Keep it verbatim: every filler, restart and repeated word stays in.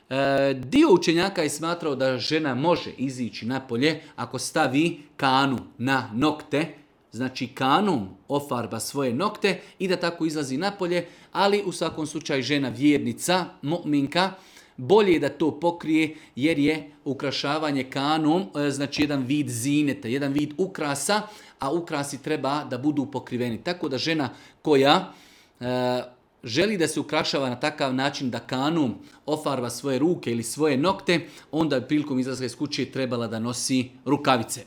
E, dio učenjaka je smatrao da žena može izići napolje ako stavi kanu na nokte, znači kanom ofarba svoje nokte i da tako izlazi napolje, ali u svakom slučaju žena vjernica, mu'minka, bolje je da to pokrije jer je ukrašavanje kanom, znači jedan vid zineta, jedan vid ukrasa, a ukrasi treba da budu pokriveni. Tako da žena koja e, želi da se ukrašava na takav način da kanom ofarba svoje ruke ili svoje nokte, onda prilikom izlaska iz kuće trebala da nosi rukavice.